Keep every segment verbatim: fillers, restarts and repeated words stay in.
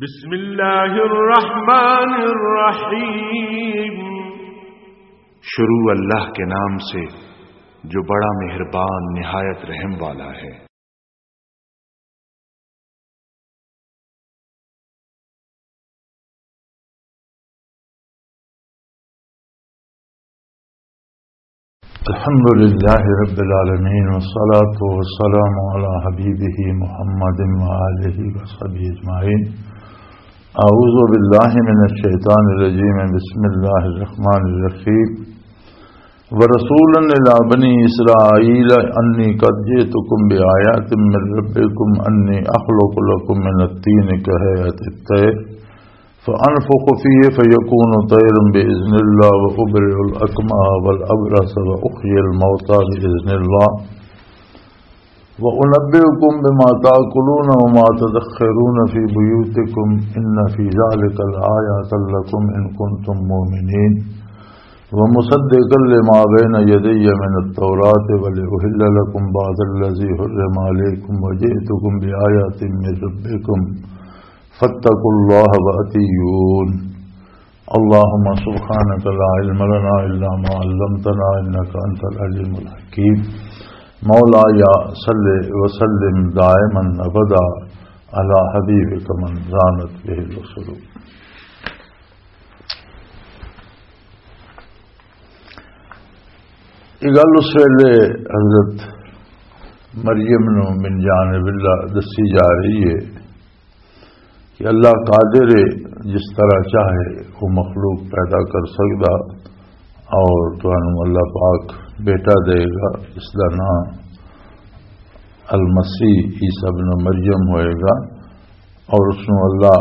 بسم اللہ الرحمن الرحیم۔ شروع اللہ کے نام سے جو بڑا مہربان نہایت رحم والا ہے۔ الحمد لله رب العالمين، والصلاة والسلام على حبيبه محمد وآله وصحبه أجمعين. أعوذ بالله من الشيطان الرجيم. بسم الله الرحمن الرحيم. ورسولا إلى بني إسرائيل أني قد جئتكم بآية من ربكم أني أخلق لكم من الطين كهيئة الطير فأنفخ فيه فيكون طيرا بإذن الله وأبرئ الأكمه والأبرص وأحيي الموتى بإذن الله وأنبئكم بما تأكلون وما تدخرون في بيوتكم إن في ذلك لآية لكم إن كنتم مؤمنين. ومصدقا لما بين يدي من التوراة ولأحل لكم بعض الذي حرم عليكم وجئتكم بآية من ربكم فاتقوا الله وأطيعون. اللهم سبحانك لا علم لنا إلا ما علمتنا إنك أنت العليم الحكيم. مولاي صل وسلم دائما أبدا على حبيبك من زانت به الرسل. یہ گل اس ویلے حضرت مریم نو من جانب اللہ دسی جا رہی ہے کہ اللہ قادر ہے، جس طرح چاہے وہ مخلوق پیدا کر سکدا، اور تانوں اللہ پاک بیٹا دے گا، اس دا نام المسیح عیسیٰ ابن مریم ہوئے گا، اور اس نوں اللہ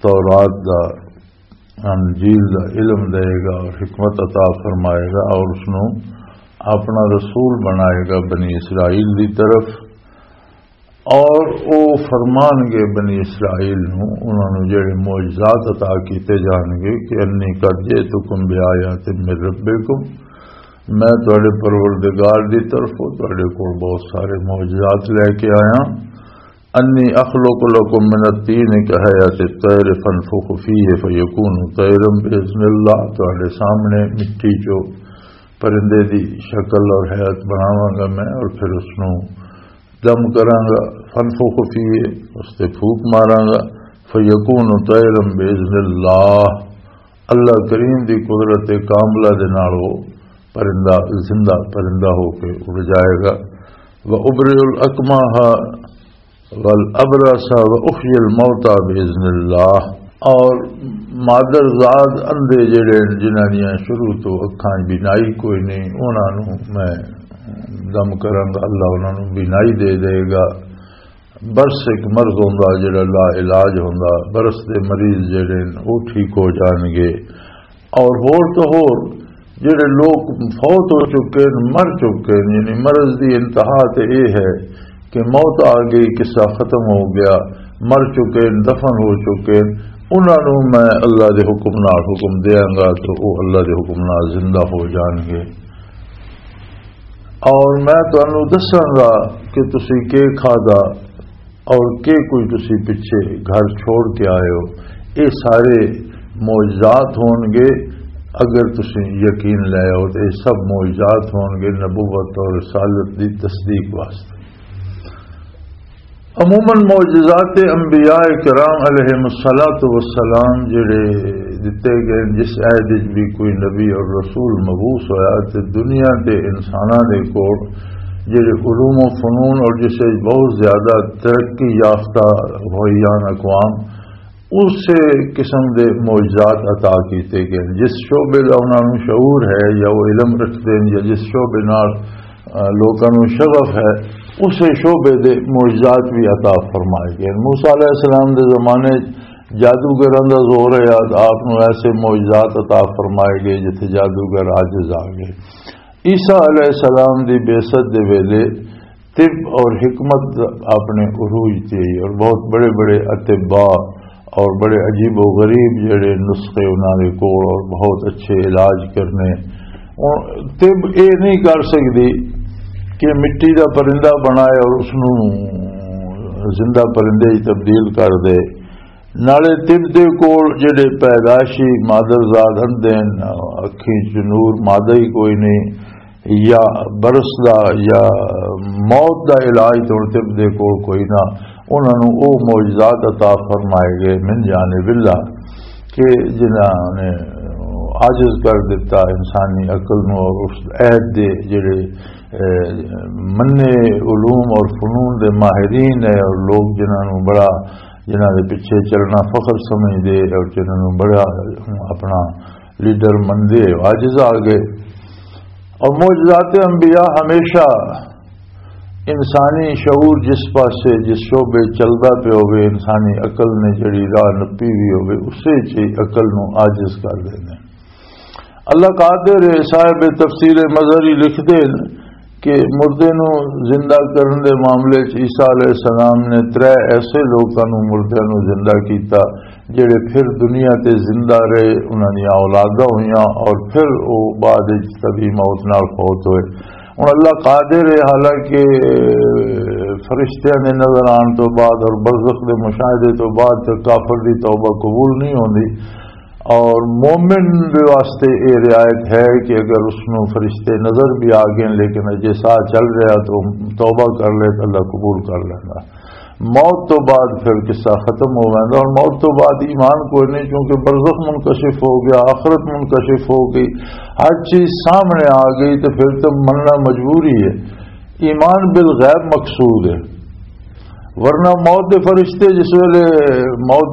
تورات دا، انجیل دا علم دے گا اور حکمت عطا فرمائے گا، اور اس نوں اپنا رسول بنائے گا بنی اسرائیل دی طرف، اور او فرمان گے بنی اسرائیل نوں، انہاں نوں جڑے معجزات عطا کیتے جان گے کہ انی قد جئتکم بآیات من ربکم، میں تہاڈے پروردگار دی طرفوں تہاڈے کول بہت سارے معجزات لے کے آیا۔ انی اخلق لکم من الطین کہیئۃ الطیر فانفخ فیہ فیکون طیرا باذن اللہ، تہاڈے سامنے مٹی چوں پرندے دی شکل اور ہیئت بناواں گا میں، اور پھر اس نوں دم کراں گا، فنفخ فیہ، اس تے پھوک ماراں گا، فیکون طیرا باذن اللہ، اللہ کریم دی قدرت کاملہ دے نال وہ پرندہ، زندہ پرندہ ہو کے اڑ جائے گا۔ وابرئ الاکمہ والابرص واحیی الموتى باذن اللہ، اور مادر زاد اندھے جڑے ہن، جنہاں دیاں شروع تو اکھاں بینائی کوئی نہیں، انہاں نوں میں دم کراں گا، اللہ انہاں نوں بینائی دے دے گا۔ برس ایک مرض ہوندا جڑا لا علاج ہوندا، برس دے مریض جڑے ہن، وہ ٹھیک ہو جان گے۔ اور ہور تو ہور جڑے لوگ فوت ہو چکے ہن، مر چکے ہن، یعنی مرض دی انتہا تے اے ہے کہ موت آ گئی، قصہ ختم ہو گیا، مر چکے ہن، دفن ہو چکے ہن، انہاں نوں میں اللہ دے حکم نال حکم دیاں گا تو وہ اللہ دے حکم نال زندہ ہو جان گے۔ اور میں تانوں دساں گا کہ تسی کی کھادا اور کی کچھ تسی پچھے گھر چھوڑ کے آئے ہو۔ یہ سارے معجزات ہون گے، اگر تسی یقین لے آؤ تو یہ سب معجزات ہون گے نبوت اور رسالت دی تصدیق واسطے۔ عموماً معجزات انبیاء کرام علیہم الصلوۃ والسلام جڑے دتے گئے، جس عہد وچ بھی کوئی نبی اور رسول مبعوث ہویا تے دنیا دے انساناں دے کول جڑے علوم و فنون اور جس وچ بہت زیادہ ترقی یافتہ ہوئی آن اقوام، اس قسم دے معجزات عطا کیتے گئے۔ جس شعبے دا انہاں نوں شعور ہے یا وہ علم رکھتے ہیں یا جس شعبے نال، آ، لوکاں نوں شغف ہے، اسے شعبے دے معجزات بھی عطا فرمائے گئے۔ موسیٰ علیہ السلام دے زمانے جادوگراں دا زور ہے، آپ نوں ایسے معجزات عطا فرمائے گئے جتھے جادوگر عاجز آ گئے۔ عیسیٰ علیہ السلام دی بعثت دے ویلے طب اور حکمت اپنے عروج تے آئی اور بہت بڑے بڑے اطباء اور بڑے عجیب و غریب جڑے نسخے انہاں دے کول اور بہت اچھے علاج کرنے۔ اور طب اے نہیں کر سکدی کہ مٹی دا پرندہ بنائے اور اس نوں زندہ پرندے وچ تبدیل کر دے۔ نالے طب دے کول جڑے پیدائشی مادر زاد اندے ہن، اکھیں چ نور مادہ ہی کوئی نہیں، یا برس دا یا موت دا علاج تو طب دے کول کوئی نہ، انہاں نوں او معجزات عطا فرمائے گئے من جانب اللہ کہ جنہاں نے عاجز کر دیتا انسانی عقل نوں، اور اس عہد دے جڑے، اے، منے علوم اور فنون دے ماہرین ہے، اور لوگ جنہاں نوں بڑا، جنہاں دے پیچھے چلنا فخر سمجھ دے اور جنہاں نوں بڑا اپنا لیڈر مندے، عاجز آ گئے۔ اور معجزات انبیاء ہمیشہ انسانی شعور جس پاسے، جس شعبے چلدا پیا ہوے، انسانی عقل نے جڑی راہ نپی ہوئی ہوے، اسے چ عقل نوں عاجز کر دیندے۔ اللہ قادر ہے، صاحب تفسیر مظہری لکھدے نے کہ مردے نوں زندہ کرن دے معاملے چ عیسیٰ علیہ السلام نے ترے ایسے لوکاں نوں، مردیاں نوں زندہ کیتا، جڑے پھر دنیا تے زندہ رہے، انہاں دیاں اولاداں ہوئیاں اور پھر او بعد وچ طبی موت نال فوت ہوئے۔ ہن اللہ قادر ہے، حالانکہ فرشتیاں دے نظر آن تو بعد اور برزخ دے مشاہدے تو بعد تے کافر دی توبہ قبول نہیں ہوندی، اور مومن دے واسطے اے رعایت ہے کہ اگر اس نوں فرشتے نظر بھی آ گئے لیکن اجے ساہ چل رہا تو توبہ کر لے تو اللہ قبول کر لیندا۔ موت تو بعد پھر قصہ ختم ہو ویندا۔ اور موت تو بعد ایمان کوئی نہیں، کیونکہ برزخ منکشف ہو گیا، آخرت منکشف ہو گئی، ہر چیز سامنے آ گئی، تو پھر تو مننا مجبوری ہے۔ ایمان بالغیب مقصود ہے، ورنہ موت دے فرشتے جس ویلے موت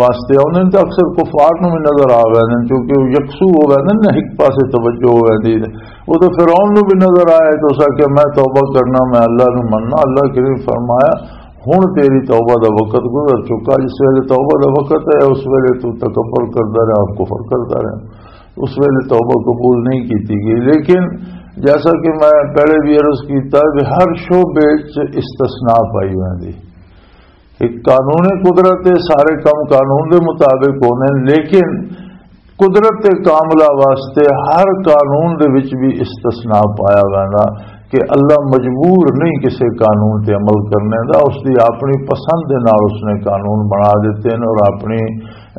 واسطے آؤندے نے تو اکثر کفار نوں بھی نظر آ ویندے نے، کیونکہ وہ یکسو ہو ویندے نے، ایک پاسے توجہ ہو ویندی ہے۔ وہ تو فرعون نوں بھی نظر آئے تو اس آکھیا، "میں توبہ کرنا، میں اللہ نوں مننا۔" اللہ کریم فرمایا، "ہن تیری توبہ دا وقت گزر چکا، جس ویلے توبہ دا وقت ہے، اس ویلے تو تکبر کردا رہا، کفر کردا رہا، اس ویلے توبہ قبول نہیں کیتی گئی۔" لیکن جیسا کہ میں پہلے بھی عرض کیتا کہ ہر شعبے وچ استثناء پائی ہوندی۔ ایک قانون قدرت ہے، سارے کام قانون دے مطابق ہونے، لیکن قدرت کاملہ واسطے ہر قانون دے وچ بھی استثناء پایا ویندا کہ اللہ مجبور نہیں کسے قانون تے عمل کرنے دا، اس دی اپنی پسند دے نال اس نے قانون بنا دیتے ہیں اور اپنی،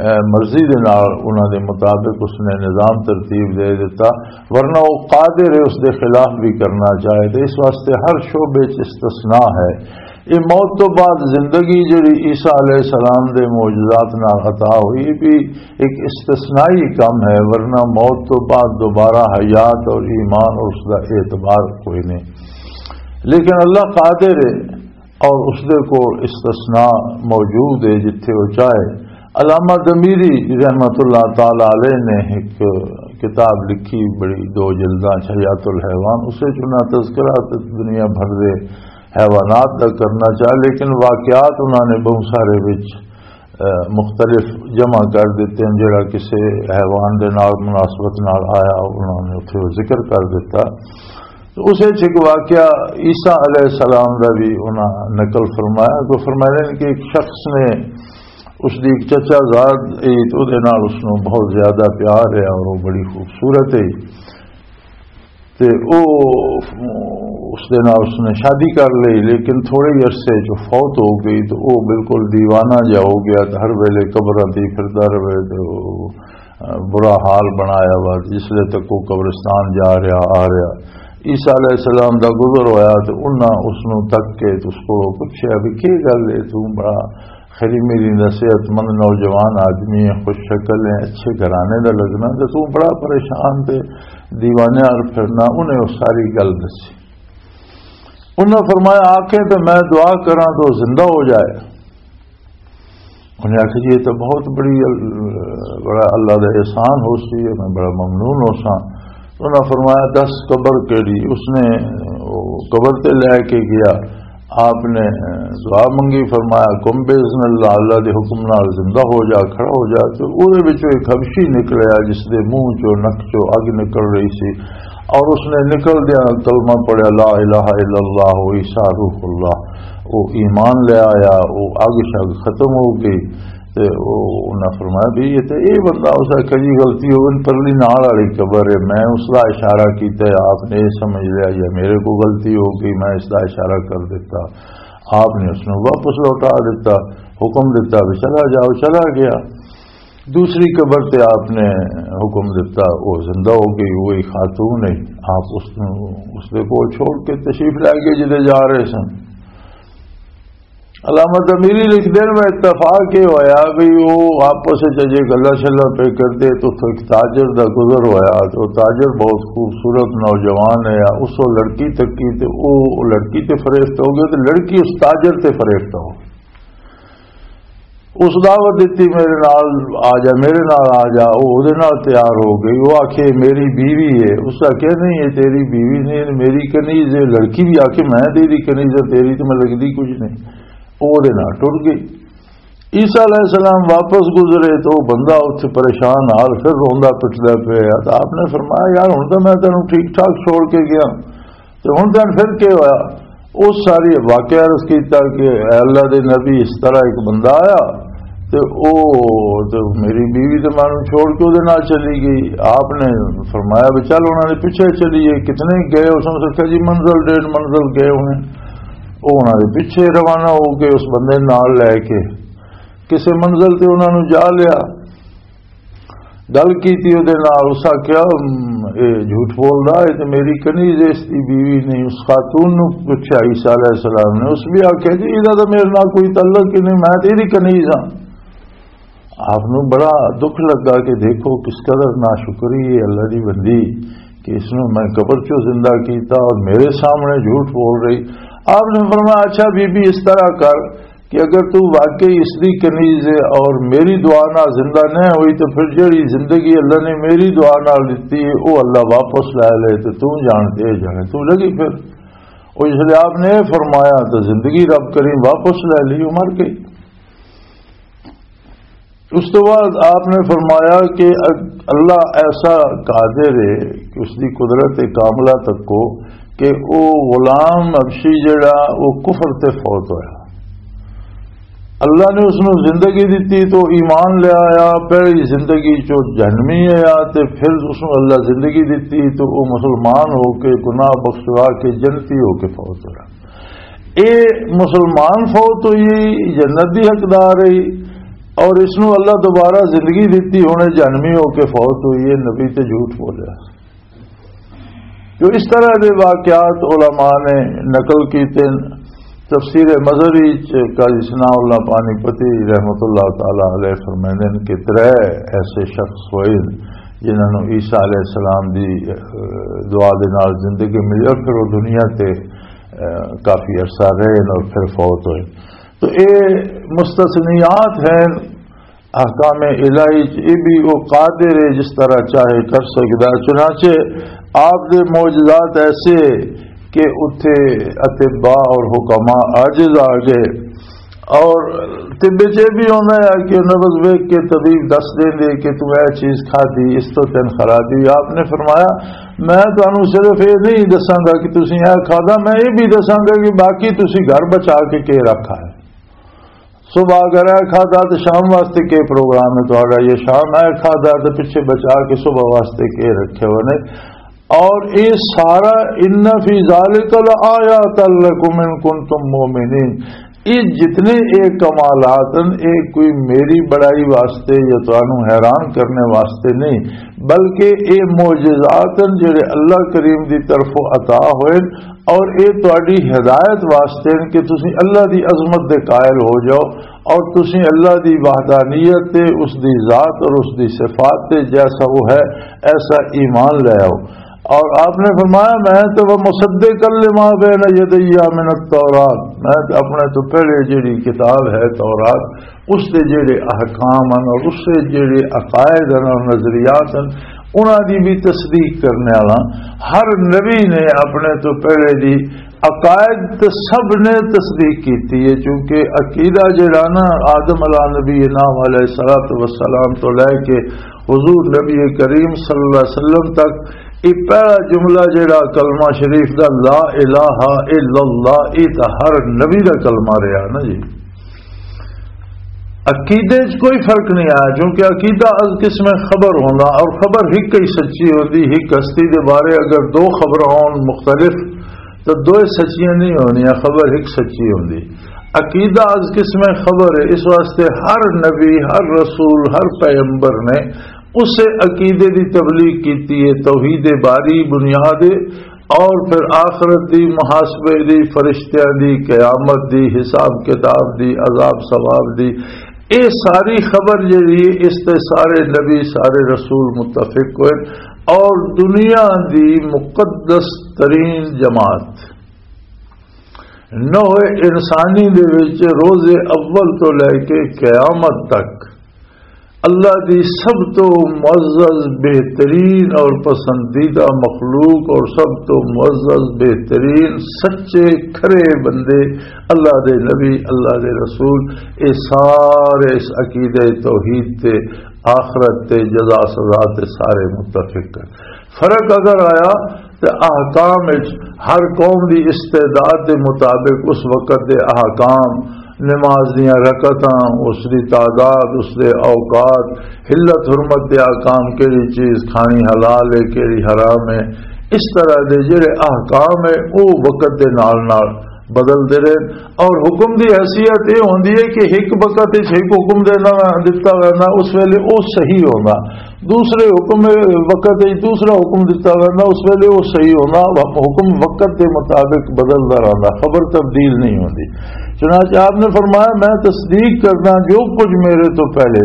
اے، مرضی دے نال انہاں دے مطابق اس نے نظام ترتیب دے دیتا، ورنہ وہ قادر ہے اس دے خلاف بھی کرنا چاہے۔ تو اس واسطے ہر شعبے وچ استثناء ہے۔ یہ موت تو بعد زندگی جڑی عیسیٰ علیہ السلام دے معجزات نال عطا ہوئی بھی ایک استثنائی کم ہے، ورنہ موت تو بعد دوبارہ حیات اور ایمان اور اس دا اعتبار کوئی نہیں۔ لیکن اللہ قادر ہے اور اس دے کول استثناء موجود ہے جتھے وہ چاہے۔ علامہ دمیری رحمت اللہ تعالی علیہ نے ایک کتاب لکھی، بڑی دو جلداں چ حیات الحیوان، اسے چنا تذکرہ تے دنیا بھر دے حیوانات دا کرنا چاہے، لیکن واقعات انہاں نے بہت سارے وچ، اے، مختلف جمع کر دیتے ہیں، جڑا کسے حیوان دے نال مناسبت نال آیا، انہاں نے اتھے وہ ذکر کر دیتا۔ تو اسے چ ایک واقعہ عیسیٰ علیہ السلام دا بھی انہاں نقل فرمایا۔ تو فرمایا کہ ایک شخص نے اس دی ایک چچا زاد ای، تو دے نال اس نوں بہت زیادہ پیار ہے اور وہ بڑی خوبصورت ہے۔ تے او اس دے نال اس نے شادی کر لئی، لیکن تھوڑے ہی عرصے چ فوت ہو گئی۔ تو او بالکل دیوانہ جا ہو گیا، تے ہر ویلے قبراں تے پھردا رہے، تے او، آ، برا حال بنایا وا۔ جس لے تک او قبرستان جا رہا، آ رہا، عیسیٰ علیہ السلام دا گزر ہویا، تے انہاں اس نوں تک کے تے اس کو پوچھیا بھی، "کی گل ہے، تو بڑا خیری میری دا صحت مند نوجوان آدمی ہے، خوش شکل ہے، اچھے گھرانے دا لگنا، تے تو بڑا پریشان تے دیوانے آر پھرنا۔" انہیں وہ ساری گل دسی۔ انہاں فرمایا، "آکھے تے میں دعا کراں تو زندہ ہو جائے۔" انہیں آکھیا، "جی، یہ تو بہت بڑی ال-، بڑا اللہ دا احسان ہو سی، میں بڑا ممنون ہو ساں۔" انہاں فرمایا، "دس قبر کیڑی؟" اس نے وہ قبر تے لے کے گیا، آپ نے دعا منگی، فرمایا، "قم باذن اللہ، اللہ دے حکم نال زندہ ہو جا، کھڑا ہو جا۔" تے اوہدے وچوں ایک حبشی نکلیا، جس دے منہ چوں، نک چوں اگ نکل رہی سی، اور اس نے نکل دیا کلمہ پڑھیا، "لا الہ الا اللہ، عیسیٰ روح اللہ۔" وہ ایمان لے آیا، وہ اگ شگ ختم ہو گئی۔ تے او، انہاں فرمایا بھی یہ تے اے بندہ اس آکھیا، "جی، غلطی ہو گئی، پرلی نال والی قبر ہے، میں اس دا اشارہ کیتا ہے، آپ نے یہ سمجھ لیا یا میرے کو غلطی ہو گئی، میں اس دا اشارہ کر دیتا۔" آپ نے اس نوں واپس لوٹا دتا، حکم دتا بھی چلا جاؤ، چلا گیا۔ دوسری قبر تے آپ نے حکم دتا، وہ زندہ ہو گئی، وہی خاتون ہے۔ آپ اس نوں اس دے کول چھوڑ کے تشریف لے گئے جدے جا رہے سن۔ علامہ تعمیری لکھدے نے، اتفاق یہ ہویا بھی وہ آپس وچ اجے گلاں شلاں پہ کردے تو اتھوں ایک تاجر دا گزر ہویا، تو تاجر بہت خوبصورت نوجوان ہے، اس وہ لڑکی تکی تے وہ لڑکی تے فریفت ہو گیا، تے لڑکی اس تاجر تے فریفت ہو گئی۔ اس دعوت دتی، میرے نال آ جا، میرے نال آ جا۔ وہ اودے نال تیار ہو گئی۔ وہ آکھے، میری بیوی ہے۔ اس آکھے، نہیں، یہ تیری بیوی نہیں، یہ میری کنیز ہے۔ لڑکی بھی آکھے، میں تیری کنیز ہے، تیری تو میں لگدی کچھ نہیں۔ وہ اودے نال ٹر گئی۔ عیسیٰ علیہ السلام واپس گزرے تو وہ بندہ اتھے پریشان حال پھر روندا پٹدا پیا۔ تو آپ نے فرمایا، یار، ہن تو میں تینوں ٹھیک ٹھاک چھوڑ کے گیا، تے ہن تین پھر کی ہویا؟ اس ساری واقعہ عرض کیتا کہ اے اللہ دے نبی، اس طرح ایک بندہ آیا تے او، تے میری بیوی تے مینوں چھوڑ کے اودے نال چلی گئی۔ آپ نے فرمایا بھی چل انہاں دے پیچھے چلیے۔ کتنے گئے؟ اس نے سوچا جی منزل ڈیڑھ منزل گئے ہونے۔ او انہاں دے پیچھے روانہ ہو کے اس بندے نال لے کے کسے منزل تے انہاں نوں جا لیا۔ گل کیتی اودے نال، اس آکھیا، "ام، اے جھوٹ بولدا ہے تے میری کنیز اس دی بیوی نہیں۔" اس خاتون نوں پوچھیا عیسیٰ علیہ السلام نے، اس بھی آکھیا، "جی، ایدا تے میرے نال کوئی تعلق ہی نہیں، میں تے ایدی کنیز ہاں۔" آپ نوں بڑا دکھ لگا کہ دیکھو کس قدر ناشکری ہے اللہ دی بندی، کہ اس نوں میں قبر چوں زندہ کیتا اور میرے سامنے جھوٹ بول رہی۔ آپ نے فرمایا، "اچھا بی بی، اس طرح کر، کہ اگر تو واقعی اس دی کنیز ہے اور میری دعا نال زندہ نہ ہوئی، تو پھر جڑی زندگی اللہ نے میری دعا نال دتی ہے، وہ اللہ واپس لے لے، تو تو جان تے جانے، تو لگی پھر۔" اور اس لیے آپ نے یہ فرمایا، تو زندگی رب کریم واپس لے لی، وہ مر گئی۔ اس تو بعد آپ نے فرمایا کہ اللہ ایسا قادر ہے کہ اس دی قدرت کاملہ تک کو کہ او غلام حبشی جڑا، او کفر تے فوت ہویا۔ اللہ نے اس نوں زندگی دتی تو ایمان لے آیا، پہلی زندگی چو جہنمی آیا، تے پھر اس نوں اللہ زندگی دتی تو او مسلمان ہو کے، گناہ بخشوا کے، جنتی ہو کے فوت ہویا۔ اے مسلمان فوت ہوئی، جنت دی حقدار ہے، اور اس نوں اللہ دوبارہ زندگی دتی، ہن اے جہنمی ہو کے فوت ہوئی ہے، نبی تے جھوٹ بولیا۔ جو اس طرح دے واقعات علماء نے نقل کیتے ہیں۔ تفسیر مظہری چ قاضی ثناء اللہ پانی پتی رحمۃ اللہ تعالی علیہ فرمائندے ہیں کہ ترے ایسے شخص ہوئے جنہاں نوں عیسیٰ علیہ السلام دی، اہ، دعا دے نال زندگی ملی اور پھر وہ دنیا تے، اہ، کافی عرصہ رہے اور پھر فوت ہوئے۔ تو اے مستثنیات ہیں احکام الہی چ، اے بھی وہ قادر ہے جس طرح چاہے کر سکدا ہے۔ چنانچہ آپ دے معجزات ایسے کہ اتھے اطباء اور حکماء عاجز آ گئے۔ اور طب چ یہ بھی ہونا ہے کہ نبض ویکھ کے طبیب دس دیں دے کہ تو اے چیز کھادی، اس تو تین خرابی۔ آپ نے فرمایا، میں تانوں صرف یہ نہیں دساں گا کہ تسی اے کھادا، میں یہ بھی دساں گا کہ باقی تسی گھر بچا کے کی رکھا ہے۔ صبح اگر اے کھادا تو شام واسطے کی پروگرام ہے تہاڈا، یہ شام اے کھادا تو پیچھے بچا کے صبح واسطے کی رکھے ہوئے نے۔ اور یہ سارا، ان فی ذالک لآیات لکم ان کنتم مؤمنین، یہ جتنے اے کمالات ہیں، اے کوئی میری بڑائی واسطے یا تانوں حیران کرنے واسطے نہیں، بلکہ اے معجزات ہیں جڑے اللہ کریم دی طرفوں عطا ہوئے، اور اے تہاڈی ہدایت واسطے ہیں کہ تسی اللہ دی عظمت دے قائل ہو جاؤ اور تسی اللہ دی وحدانیت تے، اس دی ذات اور اس دی صفات تے، جیسا وہ ہے ایسا ایمان لے آؤ۔ اور آپ نے فرمایا، میں تو وہ مصدق لما بین یدی من التورات، میں تو اپنے تو پہلے جڑی کتاب ہے تورات، اس دے جڑے احکام ہیں اور اس دے جڑے عقائد ہیں اور نظریات ہیں، انہاں دی بھی تصدیق کرنے والا۔ ہر نبی نے اپنے تو پہلے دی عقائد تے سب نے تصدیق کیتی ہے، چونکہ عقیدہ جڑا نا، آدم علیہ نبی نام علیہ الصلوۃ والسلام تو لے کے حضور نبی کریم صلی اللہ علیہ وسلم تک، یہ پہلا جملہ جڑا کلمہ شریف دا، لا الہ الا اللہ، یہ تو ہر نبی دا کلمہ رہا نا جی۔ عقیدے چ کوئی فرق نہیں آیا، کیونکہ عقیدہ از قسم خبر ہونا، اور خبر ہک ہی سچی ہوندی، ہک ہستی دے بارے اگر دو خبر ہون مختلف، تو دوئے سچیاں نہیں ہونیاں، خبر ایک سچی ہوندی۔ عقیدہ از قسم خبر ہے، اس واسطے ہر نبی، ہر رسول، ہر پیغمبر نے اسے عقیدے دی تبلیغ کیتی ہے، توحید باری بنیاد ہے، اور پھر آخرت دی، محاسبے دی، فرشتیاں دی، قیامت دی، حساب کتاب دی، عذاب ثواب دی، اے ساری خبر جڑی ہے، اس تے سارے نبی، سارے رسول متفق ہوئے۔ اور دنیا دی مقدس ترین جماعت نوع انسانی دے وچ روز اول تو لے کے قیامت تک اللہ دی سب تو معزز، بہترین اور پسندیدہ مخلوق اور سب تو معزز، بہترین، سچے، کھرے بندے، اللہ دے نبی، اللہ دے رسول، اے سارے اس عقیدہ توحید تے، آخرت تے، جزا سزا تے سارے متفق ہیں۔ فرق اگر آیا تے احکام وچ ہر قوم دی استعداد دے مطابق اس وقت دے احکام، نماز دیاں رکعتاں، اس دی تعداد، اس دے اوقات، حلت حرمت دے احکام، کیڑی چیز کھانی حلال ہے، کیڑی حرام ہے، اس طرح دے جڑے احکام ہے، او وقت دے نال نال بدل دے رہے۔ اور حکم دی حیثیت یہ ہوندی ہے کہ ایک وقت وچ ایک حکم دینا، دتا وینا، اس ویلے او صحیح ہونا، دوسرے حکم وقت وچ دوسرا حکم دتا وینا، اس ویلے او صحیح ہونا۔ حکم وقت دے مطابق بدلدا رہندا، خبر تبدیل نہیں ہوندی۔ چنانچہ آپ نے فرمایا، میں تصدیق کردا جو کچھ میرے تو پہلے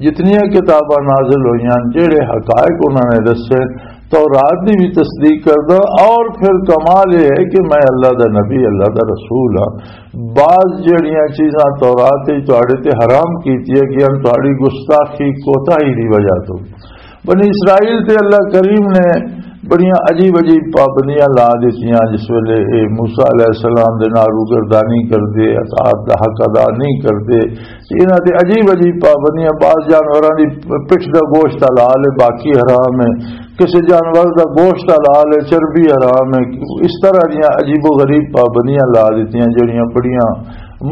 جتنیاں کتاباں نازل ہوئیاں، جڑے حقائق انہاں نے دسے، تورات دی بھی تصدیق کردا۔ اور پھر کمال یہ ہے کہ میں اللہ دا نبی، اللہ دا رسول ہاں۔ بعض جڑیاں چیزاں تورات وچ تہاڈے تے حرام کیتیاں گئیاں، تہاڈی گستاخی، کوتاہی دی وجہ تو۔ بنی اسرائیل تے اللہ کریم نے بڑیاں عجیب عجیب پابندیاں لا دتیاں، جس ویلے اے موسیٰ علیہ السلام دے نال روگردانی کردے، اطاعت دا حق ادا نہیں کردے، تے انہاں تے عجیب عجیب پابندیاں، بعض جانوراں دی پٹھ دا گوشت حلال ہے، باقی حرام ہے، کسے جانور دا گوشت حلال ہے، چربی حرام ہے۔ اس طرح دیاں عجیب و غریب پابندیاں لا دتیاں، جڑیاں بڑیاں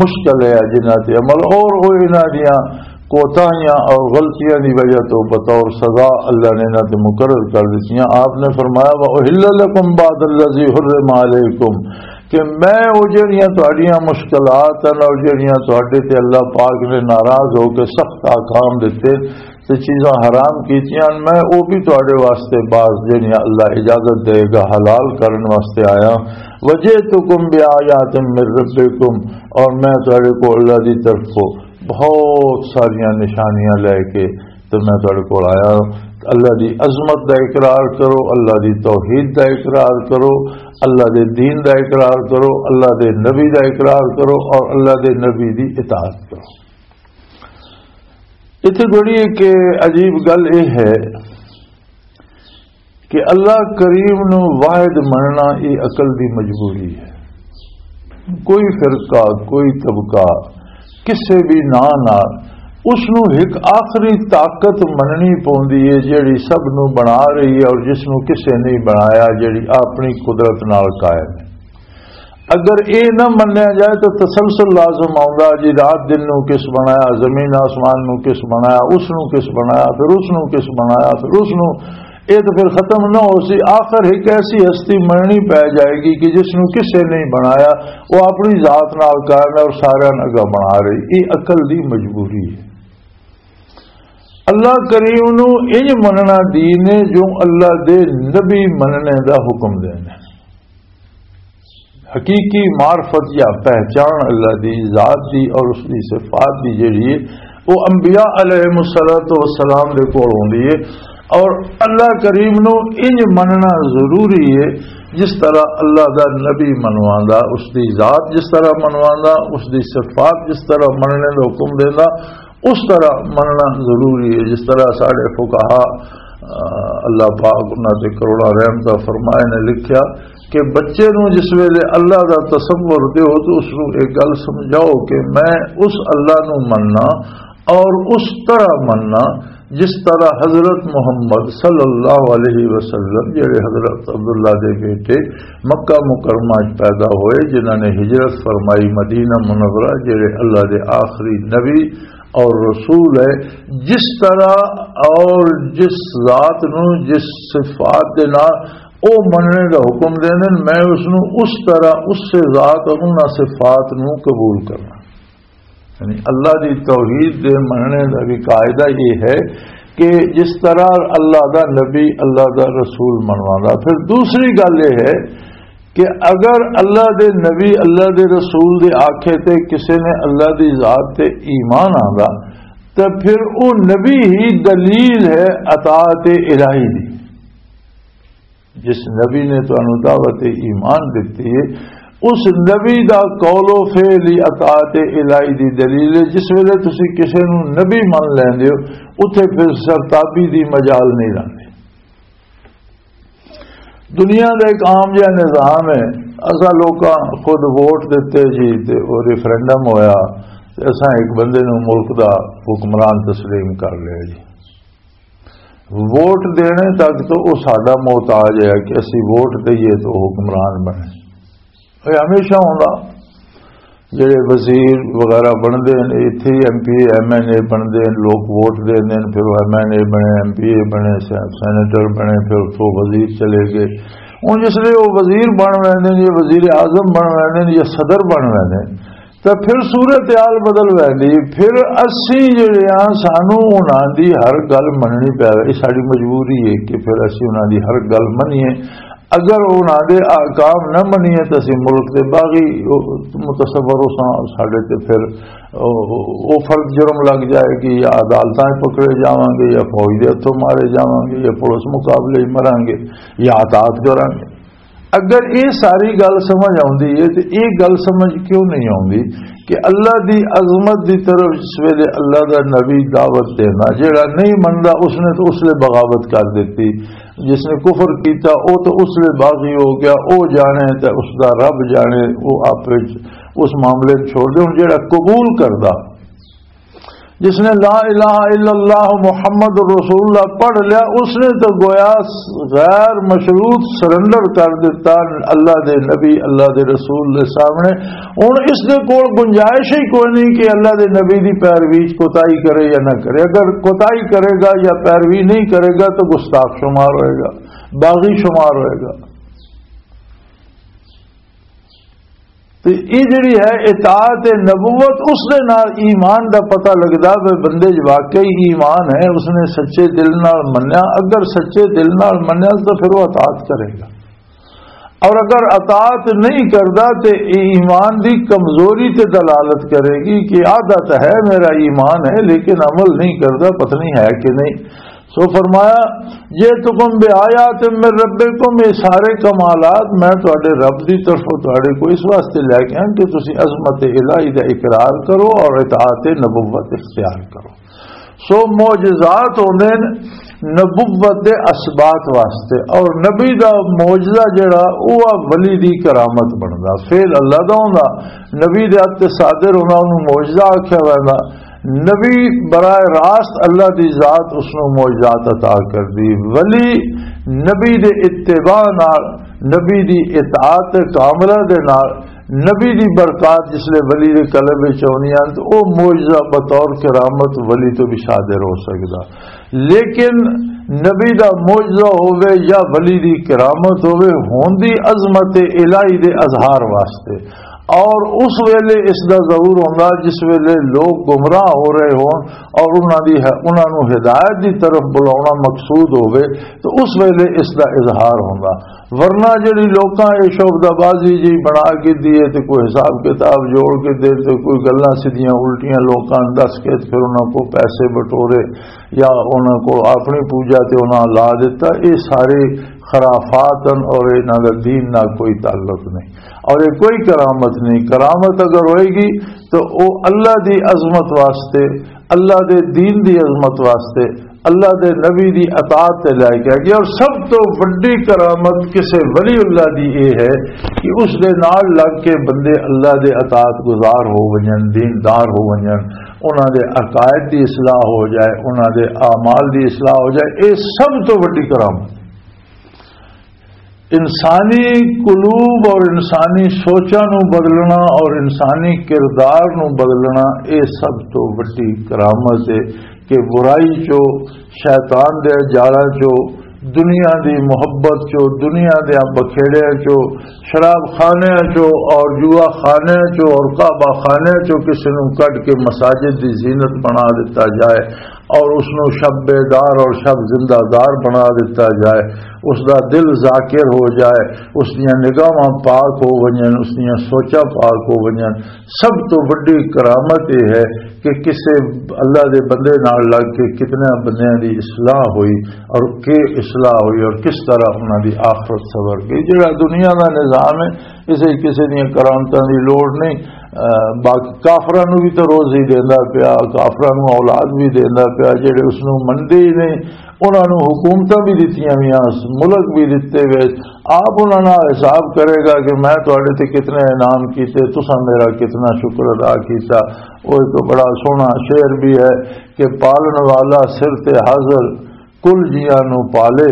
مشکل ہے جنہاں تے عمل، اور او انہاں دیاں کوتاہیاں اور غلطیاں دی وجہ تو بطور سزا اللہ نے انہاں تے مقرر کر دتیاں۔ آپ نے فرمایا، وَأُحِلَّ لَكُمْ بَعْضَ الَّذِي حُرِّمَ عَلَيْكُمْ، کہ میں او جڑیاں تہاڈیاں مشکلات ہیں اور جڑیاں تہاڈے تے اللہ پاک نے ناراض ہو کے سخت احکام دتے تے چیزاں حرام کیتیاں، میں او بھی تہاڈے واسطے بعض جڑیاں اللہ اجازت دے گا حلال کرن واسطے آیا۔ وَجِئْتُكُمْ بِآيَاتٍ مِّن رَّبِّكُمْ، اور میں تہاڈے کو اللہ دی طرف کو بہت ساریاں نشانیاں لے کے تے میں تہاڈے کول آیا۔ اللہ دی عظمت دا اقرار کرو، اللہ دی توحید دا اقرار کرو، اللہ دے دین دا اقرار کرو، اللہ دے نبی دا اقرار کرو اور اللہ دے نبی دی اطاعت کرو۔ اتھے بڑی ایک عجیب گل یہ ہے کہ اللہ کریم نو واحد مننا، یہ عقل دی مجبوری ہے۔ کوئی فرقہ، کوئی طبقہ، کسے بھی ناں نال اس نو ایک آخری طاقت مننی پوندی ہے، جیڑی سب نو بنا رہی ہے اور جس نو کسے نہیں بنایا، جیڑی اپنی قدرت نال قائم ہے۔ اگر اے نہ منیا جائے تو تسلسل لازم آؤندا جی، رات دن نو کس بنایا، زمین آسمان نو کس بنایا، اس نو کس بنایا، پھر اس نو کس بنایا، پھر اس نو، اے تو پھر ختم نہ ہو سی۔ آخر ایک ایسی ہستی مننی پی جائے گی کہ جس نو کسے نہیں بنایا، وہ اپنی ذات نال قائم ہے اور سارے نگا بنا رہی۔ یہ عقل دی مجبوری ہے۔ اللہ کریم نو انج مننا دین ہے جو اللہ دے نبی مننے دا حکم دینا ہے۔ حقیقی معرفت یا پہچان اللہ دی ذات دی اور اس دی صفات دی جڑی ہے، وہ انبیاء علیہ الصلوۃ والسلام دے کول ہوندی ہے۔ اور اللہ کریم نو انج مننا ضروری ہے، جس طرح اللہ دا نبی منواندا، اس دی ذات جس طرح منواندا، اس دی صفات جس طرح مننے دا حکم دیندا، اس طرح مننا ضروری ہے۔ جس طرح ساڈے فقہا، آ، اللہ پاک انہاں تے کروڑاں رحمتاں فرمائے، نے لکھیا کہ بچے نو جس ویلے اللہ دا تصور دیو تو اس نو ایک گل سمجھاؤ کہ میں اس اللہ نو مننا اور اس طرح مننا جس طرح حضرت محمد صلی اللہ علیہ وسلم، جڑے حضرت عبداللہ دے بیٹے مکہ مکرمہ وچ پیدا ہوئے، جنہاں نے ہجرت فرمائی مدینہ منورہ، جڑے اللہ دے آخری نبی اور رسول ہے، جس طرح اور جس ذات نو، جس صفات دے نال او مننے دا حکم دیندے نے، میں اس نوں اس طرح، اس سے ذات اور انہاں صفات نوں قبول کرنا۔ یعنی اللہ دی توحید دے مننے دا بھی قاعدہ یہ ہے کہ جس طرح اللہ دا نبی، اللہ دا رسول منوانا۔ پھر دوسری گل یہ ہے کہ اگر اللہ دے نبی، اللہ دے رسول دے آکھے تے کسے نے اللہ دی ذات تے ایمان آندا، تے پھر او نبی ہی دلیل ہے اطاعت الہی دی۔ جس نبی نے تانوں دعوت ایمان دتی ہے، اس نبی دا قول و فعل ہی اطاعت الہی دی دلیل ہے۔ جس ویلے تسی کسے نوں نبی من لیندے ہو، اتھے پھر سرتابی دی مجال نہیں رہندی۔ دنیا دا ایک عام جہا نظام ہے، اساں لوکاں خود ووٹ دتے جی، تے او ریفرنڈم ہویا، تے اساں ایک بندے نوں ملک دا حکمران تسلیم کر لیا جی۔ ووٹ دینے تک تو وہ ساڈا محتاج ہے کہ اسی ووٹ دئیے تو حکمران بنے۔ یہ ہمیشہ ہوندا۔ جڑے وزیر وغیرہ بنتے ہیں، اتھے ایم پی اے، ایم این اے بنتے ہیں، لوگ ووٹ دے دیں، پھر وہ ایم این اے بنے، ایم پی اے بنے، سے- سینیٹر بنے، پھر اتھوں وزیر چلے گئے۔ ہوں جس لیے وہ وزیر بن ویندے نے، یا وزیر اعظم بن ویندے نے، یا صدر بن ویندے نے، تو پھر صورت حال بدل ویندی۔ پھر اسی جڑے ہاں، سانو انہاں دی ہر گل مننی پے، یہ ساری مجبوری ہے کہ پھر اسی انہاں دی ہر گل منیے۔ اگر انہاں دے احکام نہ منیے تو اسی ملک دے باغی متصور ہو ساں، ساڈے تے پھر او، او فرد جرم لگ جائے گی، یا عدالتاں پکڑے جاواں گے، یا فوج دے ہتھوں مارے جاواں گے، یا پولیس مقابلے وچ مراں گے، یا اطاعت کراں گے۔ اگر یہ ساری گل سمجھ آتی ہے تو یہ گل سمجھ کیوں نہیں آتی کہ اللہ دی عظمت دی طرف جس ویلے اللہ دا نبی دعوت دینا، جڑا نہیں مندا اس نے تو اس لیے بغاوت کر دیتی، جس نے کفر کیتا وہ تو اس لیے باغی ہو گیا، وہ جانے تے اس دا رب جانے، وہ آپ وچ اس معاملے نوں چھوڑ دے۔ ہن جڑا قبول کردا، جس نے لا الہ الا اللہ محمد رسول اللہ پڑھ لیا، اس نے تو گویا غیر مشروط سرنڈر کر دیتا اللہ دے نبی، اللہ دے رسول دے سامنے۔ ہن اس دے کول گنجائش ہی کوئی نہیں کہ اللہ دے نبی دی پیروی چ کوتاہی کرے یا نہ کرے۔ اگر کوتاہی کرے گا یا پیروی نہیں کرے گا تو گستاخ شمار ہوئے گا، باغی شمار ہوئے گا۔ تے یہ جڑی ہے اطاعت نبوت، اس دے نال ایمان دا پتہ لگدا وے، بندے 'چ واقعی ایمان ہے، اس نے سچے دل نال منیا۔ اگر سچے دل نال منیا تو پھر وہ اطاعت کرے گا، اور اگر اطاعت نہیں کردا تے ایمان دی کمزوری تے دلالت کرے گی کہ آدھا تو ہے میرا ایمان ہے لیکن عمل نہیں کردا، پتہ نہیں ہے کہ نہیں۔ سو فرمایا، "جئتکم بآیات من ربکم"، یہ سارے کمالات میں تہاڈے رب دی طرفوں تہاڈے کو اس واسطے لے کے ہیں کہ تسی عظمت الہی دا اقرار کرو اور اطاعت نبوت اختیار کرو۔ سو معجزات ہوندے نے نبوت دے اثبات واسطے، اور نبی دا معجزہ جڑا، وہ ولی دی کرامت بندا، فعل اللہ دا ہوندا، نبی دے ہتھ تے صادر ہونا، اونوں معجزہ آکھیا ویندا۔ نبی براہ راست اللہ دی ذات اس نوں معجزات عطا کر دی۔ ولی نبی دے اتباع نال، نبی دی اطاعت کاملہ دے نال، نبی دی برکات جس لے ولی دے قلب وچ آونی ہے تو او معجزہ بطور کرامت ولی تو بھی صادر ہو سکدا۔ لیکن نبی دا معجزہ ہووے یا ولی دی کرامت ہووے، ہوندی عظمت الہی دے اظہار واسطے۔ اور اس ویلے اس دا ظہور ہوندا جس ویلے لوگ گمراہ ہو رہے ہون اور انہاں دی، انہاں نوں ہدایت دی طرف بلاونا مقصود ہووے، تو اس ویلے اس دا اظہار ہوندا۔ ورنہ جڑی لوکاں اے شعبدہ بازی جی بنا کے دیے تے کوئی حساب کتاب جوڑ کے دے تے کوئی گلاں سیدھیاں الٹیاں لوکاں نوں دس کے تے پھر انہاں کو پیسے بٹورے یا انہاں کو اپنی پوجا تے انہاں لا دیتا، اے سارے خرافات ہیں اور انہاں دا دین نال کوئی تعلق نہیں اور یہ کوئی کرامت نہیں۔ کرامت اگر ہوئے گی تو او اللہ دی عظمت واسطے، اللہ دے دین دی عظمت واسطے، اللہ دے نبی دی اطاعت تے لے کے گیا۔ اور سب تو وڈی کرامت کسے ولی اللہ دی اے ہے کہ اس دے نال لگ کے بندے اللہ دے اطاعت گزار ہو ونجن، دیندار ہو ونجن، انہاں دے عقائد دی اصلاح ہو جائے، انہاں دے اعمال دی اصلاح ہو جائے۔ اے سب تو وڈی کرامت۔ انسانی قلوب اور انسانی سوچاں نوں بدلنا اور انسانی کردار نوں بدلنا، اے سب تو وڈی کرامت ہے کہ برائی چو، شیطان دے جالاں چو، دنیا دی محبت چو، دنیا دے بکھیڑے چو، شراب خانے چو اور جوا خانے چو اور کعبہ خانے چو کسی نو کڈ کے مساجد دی زینت بنا دیتا جائے اور اس نو شب بیدار اور شب زندہ دار بنا دیتا جائے، اس دا دل ذاکر ہو جائے، اس دیاں نگاہاں پاک ہو ونجن، اس دیاں سوچاں پاک ہو ونجن۔ سب تو وڈی کرامت یہ ہے کہ کسے اللہ دے بندے نال لگ کے کتنے بندیاں دی اصلاح ہوئی اور کی اصلاح ہوئی اور کس طرح انہاں دی آخرت سنور گئی۔ جڑا دنیا دا نظام ہے، اسے کسے دیاں کرامتاں دی لوڑ نہیں۔ اہ، باقی کافراں نوں بھی تو روزی دیندا پیا، کافراں نوں اولاد بھی دیندا پیا، جڑے اس نوں منندے ہی نہیں، انہاں نوں حکومتاں بھی دتیاں ہوئیاں، ملک بھی دتے ہوئے۔ آپ انہاں نال حساب کرے گا کہ میں تہاڈے تے کتنے انعام کیتے، تساں میرا کتنا شکر ادا کیتا۔ وہ ایک بڑا سوہنا شعر بھی ہے کہ پالن والا سر تے حاضر، کل جیاں نوں پالے،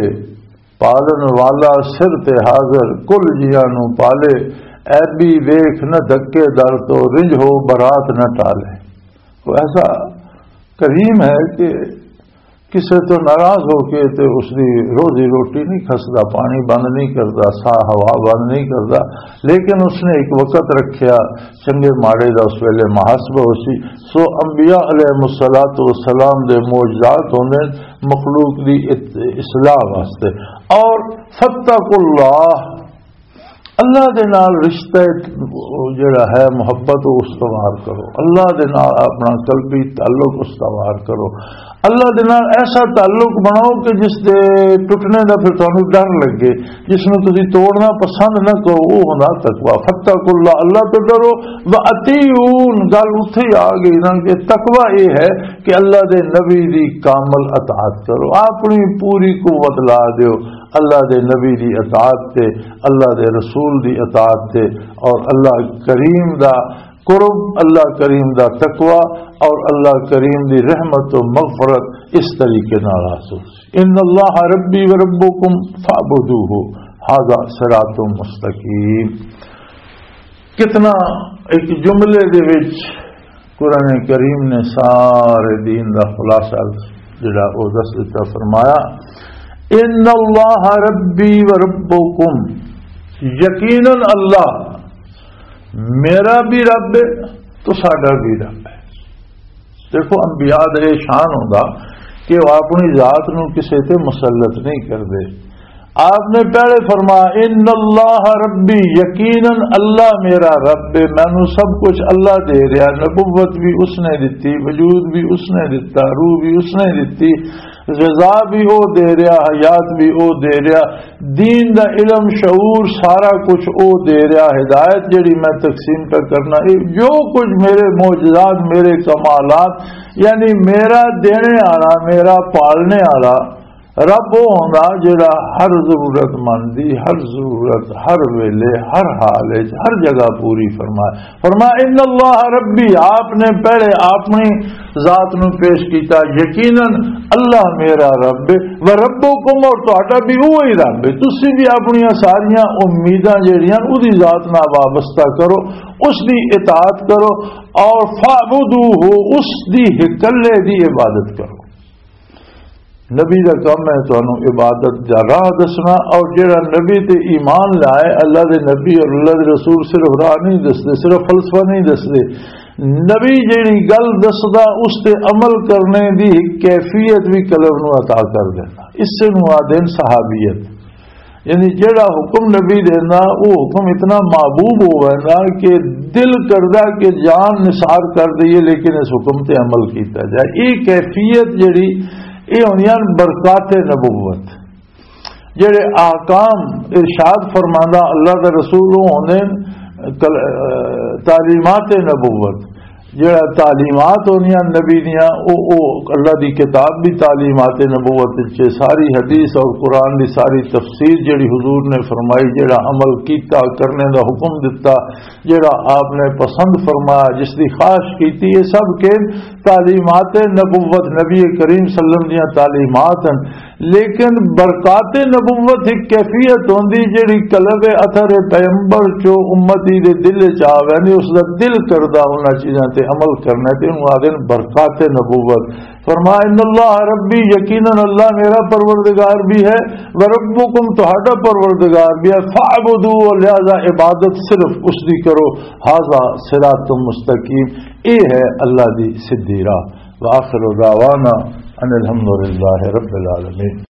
پالن والا سر تے حاضر، کل جیاں نوں پالے، عیبی ویکھ نہ دھکے در تو، رنج ہو برات نہ ٹالے۔ وہ ایسا کریم ہے کہ کسے تو ناراض ہو کے تے اس دی روزی روٹی نہیں کھسدا، پانی بند نہیں کردا، ساہ ہوا بند نہیں کردا، لیکن اس نے ایک وقت رکھیا، چنگے ماڑے دا اس ویلے محاسبہ ہو سی۔ سو انبیاء علیہ الصلوۃ والسلام دے معجزات ہوندے مخلوق دی ات-، اصلاح واسطے۔ اور فاتقوا اللہ، اللہ دے نال رشتہ جڑا ہے، محبت، وہ استوار کرو۔ اللہ دے نال اپنا قلبی تعلق استوار کرو۔ اللہ دے نال ایسا تعلق بناؤ کہ جس دے ٹوٹنے دا پھر تانوں ڈر لگے، جس نوں تسی توڑنا پسند نہ کرو، وہ ہوندا تقوی۔ فاتقوا اللہ، اللہ تو ڈرو۔ واطیعون، گل اتھے ہی آ گئی نا کہ تقوی یہ ہے کہ اللہ دے نبی دی کامل اطاعت کرو، اپنی پوری قوت لا دیو اللہ دے نبی دی اطاعت تے، اللہ دے رسول دی اطاعت تے، اور اللہ کریم دا قرب، اللہ کریم دا تقوی، اور اللہ کریم دی رحمت و مغفرت اس طریقے نال حاصل۔ ان اللہ ربی و ربکم فاعبدوہ، ھذا صراط مستقیم۔ کتنا ایک جملے دے وچ قرآن کریم نے سارے دین دا خلاصہ جڑا او دس دتا، فرمایا، ان اللہ ربی و ربکم، یقیناً اللہ میرا بھی رب ہے تو ساڈا بھی رب ہے۔ دیکھو، انبیاء دا یہ شان ہوندا کہ وہ اپنی ذات نو کسے تے مسلط نہیں کردے۔ آپ نے پہلے فرمایا، ان اللہ ربی، یقیناً اللہ میرا رب ہے، مینوں سب کچھ اللہ دے رہا، نبوت بھی اس نے دتی، وجود بھی اس نے دتا، روح بھی اس نے دتی، غذا بھی او دے رہا، حیات بھی او دے رہا، دین دا علم، شعور، سارا کچھ او دے رہا، ہدایت جڑی میں تقسیم پہ کرنا، اے جو کچھ میرے معجزات، میرے کمالات، یعنی میرا دینے والا، میرا پالنے والا رب او ہوندا جڑا ہر ضرورت مند دی، ہر ضرورت، ہر ویلے، ہر حال وچ، ہر جگہ پوری فرمائے۔ فرمایا، ان اللہ ربی، آپ نے پہلے اپنی ذات نو پیش کیتا، یقیناً اللہ میرا رب ہے، و ربکم، اور تہاڈا بھی وہی رب ہے۔ تسی بھی اپنیاں ساریاں امیداں جڑیاں اودی ذات نال وابستہ کرو، اس دی اطاعت کرو، اور فاعبدوہ، اس دی اکلے دی عبادت کرو۔ نبی دا کم ہے تانوں عبادت دا راہ دسنا، اور جڑا نبی تے ایمان لائے، اللہ دے نبی اور اللہ دے رسول صرف راہ نہیں دسدے، صرف فلسفہ نہیں دسدے۔ نبی جڑی گل دسدا، اس تے عمل کرنے دی ایک کیفیت بھی قلب نو عطا کر دینا۔ اس نو آدھے صحابیت۔ یعنی جڑا حکم نبی دینا، وہ حکم اتنا محبوب ہو ویندا کہ دل کردا کہ جان نثار کر دئیے، لیکن اس حکم تے عمل کیتا جائے۔ یہ کیفیت جڑی، یہ ہوندیاں برکات نبوت۔ جڑے احکام ارشاد فرماندا اللہ دا رسول، وہ ہوندے کل-، تعلیمات نبوت۔ جڑا تعلیمات ہوندیاں نبی دیاں، او، او اللہ دی کتاب بھی تعلیمات نبوت وچ ہے، ساری حدیث اور قرآن دی ساری تفسیر جڑی حضور نے فرمائی، جڑا عمل کیتا، کرنے دا حکم دتا، جڑا آپ نے پسند فرمایا، جس دی خواہش کیتی، یہ سب کے تعلیمات نبوت، نبی کریم صلی اللہ علیہ وسلم دیاں تعلیمات ہیں۔ لیکن برکات نبوت ایک کیفیت ہوندی جڑی قلب اثر پیغمبر چو امتی دے دل چ آ ویندی، اس دا دل کردا انہاں چیزاں تے عمل کرنا ہے، تے انہوں آدھے نے برکات نبوت۔ فرمایا، "ان اللہ ربی"، یقیناً اللہ میرا پروردگار بھی ہے، "وربکم"، تہاڈا پروردگار بھی ہے، "فاعبدوہ"، لہذا عبادت صرف اس دی کرو۔ "ھذا صراط مستقیم"، اے ہے اللہ دی سدھی راہ۔ وآخر دعوانا ان الحمد للہ رب العالمین۔